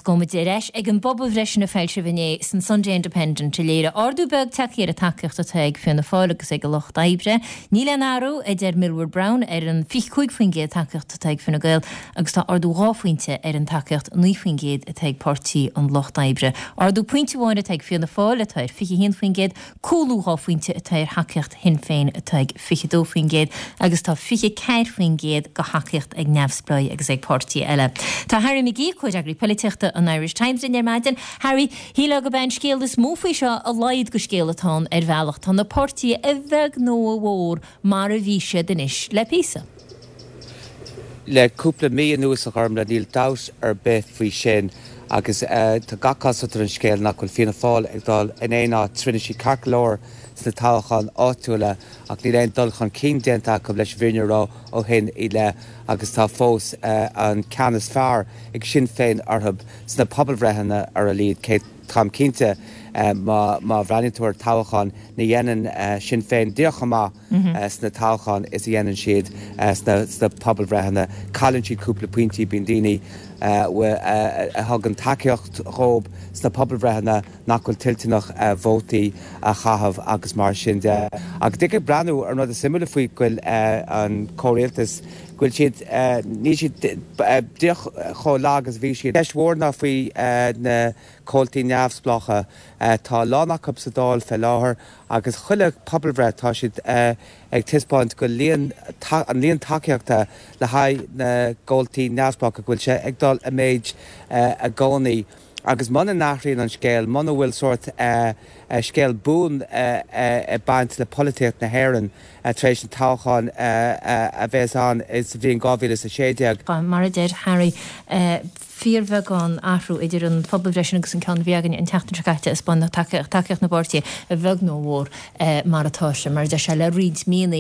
gabhfaidh muid ar ais ag an bpobalbhreith sin a foilsíodh inné san Sunday Independent a léirigh ardú beag tagtha ar an tacaíocht atá ag Fianna Fáil agus ag an Lucht Oibre. Níl aon athrú, a deir Millward Brown, ar an 25% tacaíocht atá ag Fine Gael agus tá ardú 2 phointe ar an tacaíocht 9% atá ag Páirtí an Lucht Oibre. Ardú pointe amháin atá ag Fianna Fáil atá ar 21%, Cúlú 2 phointe atá ar thacaíocht Shinn Féin atá ag 22% agus tá 24% de thacaíocht ag neamhspleáigh agus ag páirtithe eile. Tá Harry McGee, Comhfhreagraí Polaitíochta an Irish Times linn ar maidin. Harry, shílfeá gurb é an scéal is mó faoi seo a laghad de scéal atá ann ar bhealach. Tá na páirtithe a bheag nó a mhór mar a bhí siad anois le píosa. Le cúpla mí anuas, a Ghormlaith, níl dabht ar bith faoi sin agus tá gach cosúlacht ar an scéal nach bhfuil Fianna Fáil ag dul in aon áit. Rinne siad ceart go leor sna toghcháin áitiúla ach níl aon dul chun cinn déanta acu leis an bhfírinne a rá ó shin i leith agus tá fós an ceann is fearr ag Sinn Féin orthu sna pobalbhreitheanna ar a laghad. Cé táim cinnte má bhreathnaíonn tú ar toghcháin ní dhéanann Sinn Féin díreach chomh maith sna toghcháin is a dhéanann siad sna pobalbhreitheanna. Cailleann siad cúpla pointí, bíonn daoine a thugann tacaíocht dhóibh sna pobalbhreitheanna nach bhfuil toilteanach vótaí a chaitheamh agus mar sin de. Ach ag breathnú ar an rud is suimiúla faoi go bhfuil an comhrialtas, go bhfuil siad, níl siad díreach chomh lag is a bhí siad. Ceist mhór ná faoi na comhaltaí neamhspleácha. Tá a lán acu sa Dáil fé láthair Agus chuile pobalbhreith tá siad ag taispeáint go líon, an líon tacaíochta le haghaidh na gcomhaltaí neamhspleácha, go bhfuil sé ag dul i méid i gcónaí. Agus muna n-athraíonn an scéal, muna bhfuil sórt scéal buan ag baint le polaitíocht na hÉireann tar éis an toghcháin a bheas ann sa bhliain 2016, Mar a deir Harry, fíorbheagán athrú idir an phobalbhreith sin agus an ceann a bhí againn an tseachtain seo caite ag spáint tacaíocht na bpáirtithe, a bheag nó a mhór, mar atá sé, mar a deir sé, le roinnt míonna.